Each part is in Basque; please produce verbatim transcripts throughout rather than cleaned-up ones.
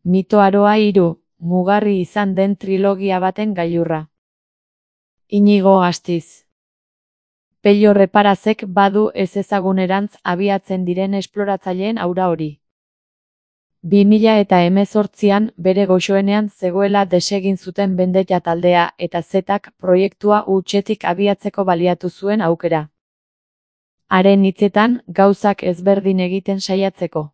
Mito Aroa hiru, mugarri izan den trilogia baten gailurra. Inigo Astiz. Pello Reparazek badu ezezagunerantz abiatzen diren esploratzaileen aura hori. bi mila eta hemezortzian bere goxoenean zegoela desegin zuten Vendetta taldea eta Zetak proiektua hutsetik abiatzeko baliatu zuen aukera. Haren hitzetan, gauzak ezberdin egiten saiatzeko.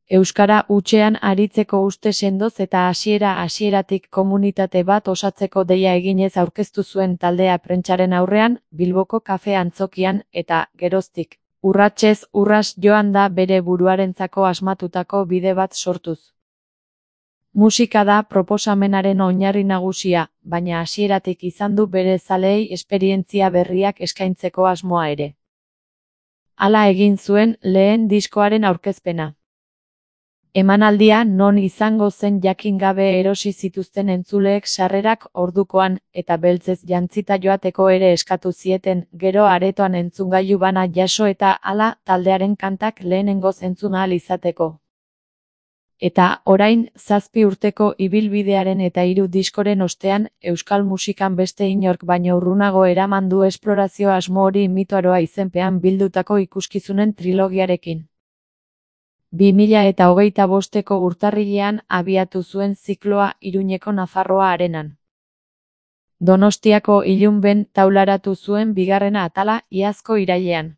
Euskara hutsean aritzeko uste sendoz eta hasiera-hasieratik komunitate bat osatzeko deia eginez aurkeztu zuen taldea prentsaren aurrean, Bilboko kafe antzokian, eta, geroztik, urratsez urras joan da bere buruarentzako asmatutako bide bat sortuz. Musika da proposamenaren oinarri nagusia, baina hasieratik izan du bere zaleei esperientzia berriak eskaintzeko asmoa ere. Hala egin zuen lehen diskoaren aurkezpena. Emanaldia non izango zen jakin gabe erosi zituzten entzuleek sarrerak ordukoan, eta beltzez jantzita joateko ere eskatu zieten, gero aretoan entzungailu bana jaso eta hala taldearen kantak lehenengoz entzun ahal izateko. Eta, orain, zazpi urteko ibilbidearen eta hiru diskoren ostean, euskal musikan beste inork baino urrunago eraman du esplorazio asmo hori Mito Aroa izenpean bildutako ikuskizunen trilogiarekin. bi mila eta hogeita bosteko urtarrilean abiatu zuen zikloa Iruñeko Nafarroa Arenan. Donostiako Ilunben taularatu zuen bigarrena atala iazko irailean.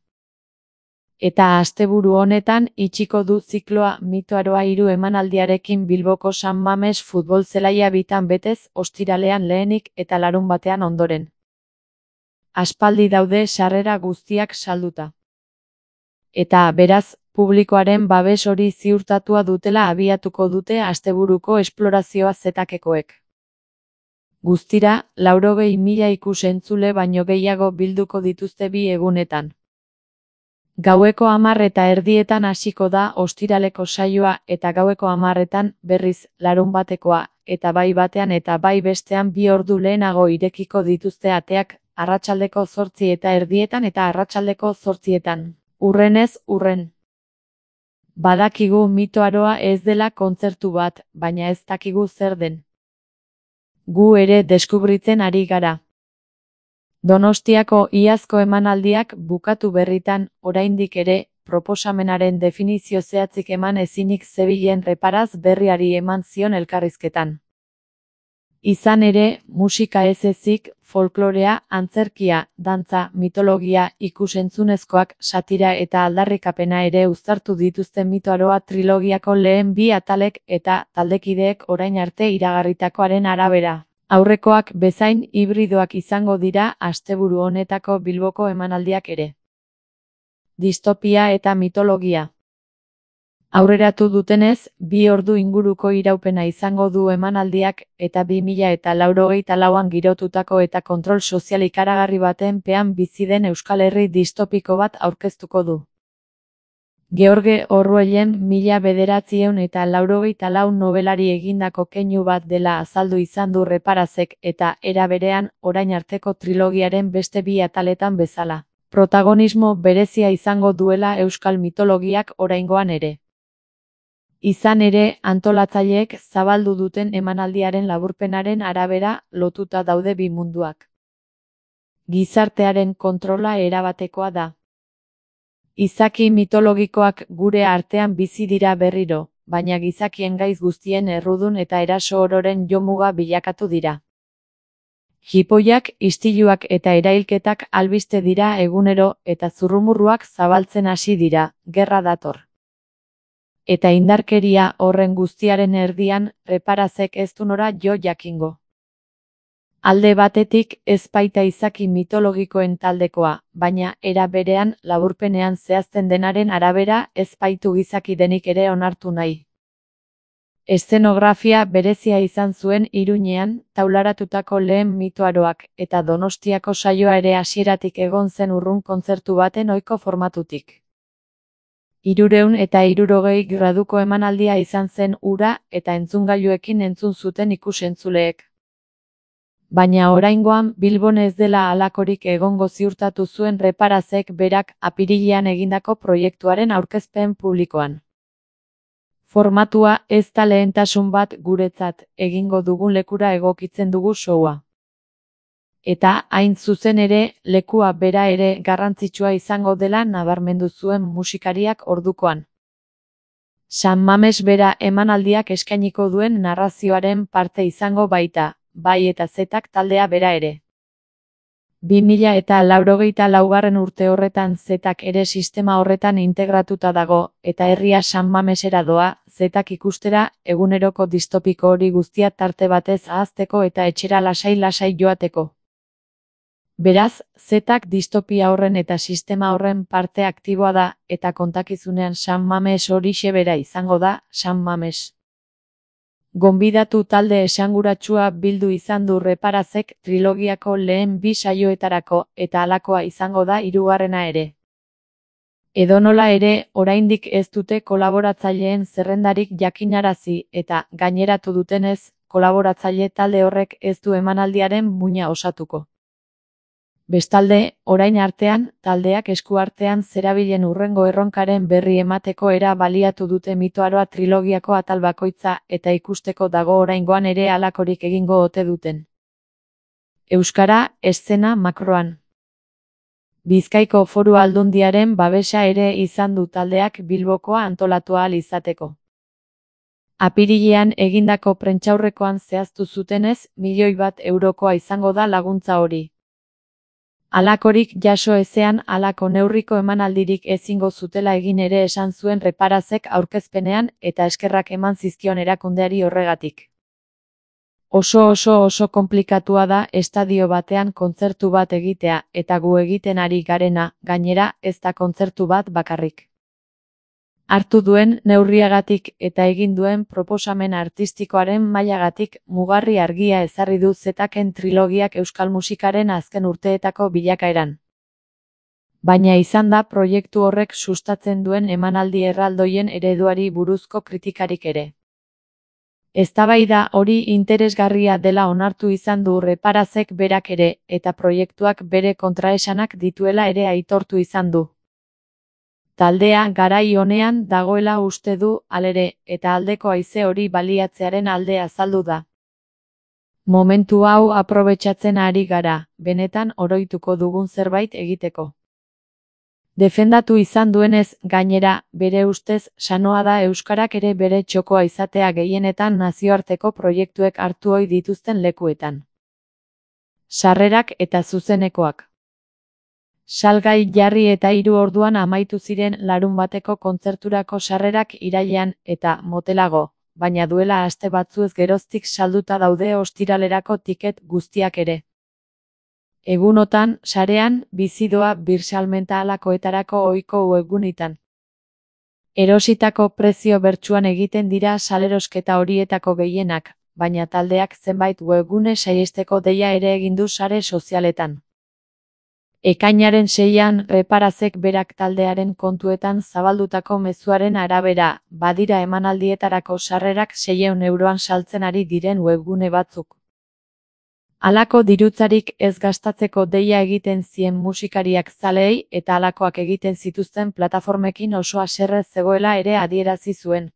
Eta asteburu honetan itxiko du zikloa Mito Aroa hiru emanaldiarekin Bilboko San Mames futbol zelaia bitan betez ostiralean lehenik eta larunbatean ondoren. Aspaldi daude sarrera guztiak salduta. Eta, beraz, publikoaren babes hori ziurtatua dutela abiatuko dute asteburuko esplorazioa Zetakekoek. Guztira, laurogei mila ikus-entzule baino gehiago bilduko dituzte bi egunetan. Gaueko hamar eta erdietan hasiko da ostiraleko saioa eta gaueko hamarretan berriz larunbatekoa, eta bai batean eta bai bestean bi ordu lehenago irekiko dituzte ateak, arratsaldeko zortzi eta erdietan eta arratsaldeko zortzietan. Urrenez urren. Badakigu Mito Aroa ez dela kontzertu bat, baina ez dakigu zer den. Gu ere deskubritzen ari gara. Donostiako iazko emanaldiak bukatu berritan, oraindik ere, proposamenaren definizio zehatzik eman ezinik zebilen Reparaz berriari eman zion elkarrizketan. Izan ere, musika ez ezik, folklorea, antzerkia, dantza, mitologia, ikusentzunezkoak, satira eta aldarrikapena ere uztartu dituzte Mito Aroa trilogiako lehen bi atalek eta taldekideek orain arte iragarritakoaren arabera. Aurrekoak bezain hibridoak izango dira asteburu honetako Bilboko emanaldiak ere. Distopia eta mitologia. Aurreratu dutenez, bi ordu inguruko iraupena izango du emanaldiak eta bi mila eta laurogeita lauan girotutako eta kontrol sozial ikaragarri baten pean bizi den Euskal Herri distopiko bat aurkeztuko du. George Orwellen mila bederatziehun eta laurogeita lau nobelari egindako keinu bat dela azaldu izan du Reparazek eta era berean orain arteko trilogiaren beste bi ataletan bezala. Protagonismo berezia izango duela euskal mitologiak oraingoan ere. Izan ere, antolatzaileek zabaldu duten emanaldiaren laburpenaren arabera lotuta daude bi munduak. Gizartearen kontrola erabatekoa da. Izaki mitologikoak gure artean bizi dira berriro, baina gizakien gaiz guztien errudun eta eraso ororen jomuga bilakatu dira. Jipoiak, istiluak eta erailketak albiste dira egunero eta zurrumurruak zabaltzen hasi dira, gerra dator. Eta indarkeria horren guztiaren erdian, Reparazek ez du nora jo jakingo. Alde batetik ez baita izaki mitologikoen taldekoa, baina era berean laburpenean zehazten denaren arabera ez baitu gizaki denik ere onartu nahi. Eszenografia berezia izan zuen Iruñean taularatutako lehen Mito Aroak eta Donostiako saioa ere hasieratik egon zen urrun kontzertu baten ohiko formatutik. Hirurehun eta hirurogei graduko emanaldia izan zen ura eta entzungailuekin entzun zuten ikus-entzuleek. Baina oraingoan Bilbon ez dela halakorik egongo ziurtatu zuen Reparazek berak apirilean egindako proiektuaren aurkezpen publikoan. Formatua ez da lehentasun bat guretzat, egingo dugun lekura egokitzen dugu showa. Eta, hain zuzen ere, lekua bera ere garrantzitsua izango dela nabarmendu zuen musikariak ordukoan. San Mames bera emanaldiak eskainiko duen narrazioaren parte izango baita, bai eta zetak taldea bera ere. bi mila eta laurogeita laugarren urte horretan zetak ere sistema horretan integratuta dago, eta herria San Mamesera doa, zetak ikustera, eguneroko distopiko hori guztia tarte batez ahazteko eta etxera lasai-lasai joateko. Beraz, zetak distopia horren eta sistema horren parte aktiboa da, eta kontakizunean San Mames horixe bera izango da, San Mames. Gonbidatu talde esanguratsua bildu izan du Reparazek trilogiako lehen bi saioetarako, eta halakoa izango da hirugarrena ere. Edonola ere, oraindik ez dute kolaboratzaileen zerrendarik jakinarazi, eta, gaineratu dutenez, kolaboratzaile talde horrek ez du emanaldiaren muina osatuko. Bestalde, orain artean, taldeak eskuartean zerabilen hurrengo erronkaren berri emateko era baliatu dute Mitoaroa trilogiako atal bakoitza eta ikusteko dago oraingoan ere halakorik egingo ote duten. Euskara, eszena makroan. Bizkaiko Foru Aldundiaren babesa ere izan du taldeak Bilbokoa antolatu ahal izateko. Apirilean egindako prentsaurrekoan zehaztu zutenez, milioi bat eurokoa izango da laguntza hori. Halakorik jaso ezean halako neurriko emanaldirik ezingo zutela egin ere esan zuen Reparazek aurkezpenean eta eskerrak eman zizkion erakundeari horregatik. Oso oso oso konplikatua da estadio batean kontzertu bat egitea eta gu egiten ari garena, gainera, ez da kontzertu bat bakarrik. Hartu duen neurriagatik eta egin duen proposamen artistikoaren mailagatik mugarri argia ezarri du zetaken trilogiak euskal musikaren azken urteetako bilakaeran. Baina izan da proiektu horrek sustatzen duen emanaldi erraldoien ereduari buruzko kritikarik ere. Eztabaida hori interesgarria dela onartu izan du Reparazek berak ere, eta proiektuak bere kontraesanak dituela ere aitortu izan du. Taldea garai honean dagoela uste du, halere, eta aldeko haize hori baliatzearen alde azaldu da. Momentu hau aprobetxatzen ari gara, benetan oroituko dugun zerbait egiteko. Defendatu izan duenez, gainera, bere ustez, sanoa da euskarak ere bere txokoa izatea gehienetan nazioarteko proiektuek hartu ohi dituzten lekuetan. Sarrerak eta zuzenekoak. Salgai jarri eta hiru orduan amaitu ziren larunbateko kontzerturako sarrerak irailean eta motelago, baina duela aste batzuez geroztik salduta daude ostiralerako tiket guztiak ere. Egunotan, sarean, bizidoa birsalmenta halakoetarako ohiko webgunetan. Erositako prezio bertsuan egiten dira salerosketa horietako gehienak, baina taldeak zenbait webgune saihesteko deia ere egin du sare sozialetan. Ekainaren seian Reparazek berak taldearen kontuetan zabaldutako mezuaren arabera, badira emanaldietarako sarrerak seiehun euroan saltzen ari diren webgune batzuk. Halako dirutzarik ez gastatzeko deia egiten zien musikariak zaleei eta halakoak egiten zituzten plataformekin oso haserre zegoela ere adierazi zuen.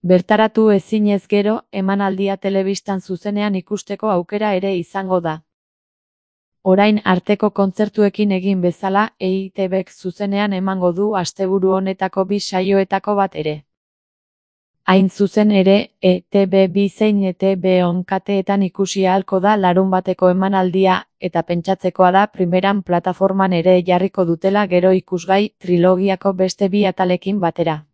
Bertaratu ezinez gero, emanaldia telebistan zuzenean ikusteko aukera ere izango da. Orain arteko kontzertuekin egin bezala, E I T Bek zuzenean emango du asteburu honetako bi saioetako bat ere. Hain zuzen ere, E T B bi zein E T B onkateetan ikusi ahalko da larunbateko emanaldia, eta pentsatzekoa da primeran plataforman ere jarriko dutela gero ikusgai trilogiako beste bi atalekin batera.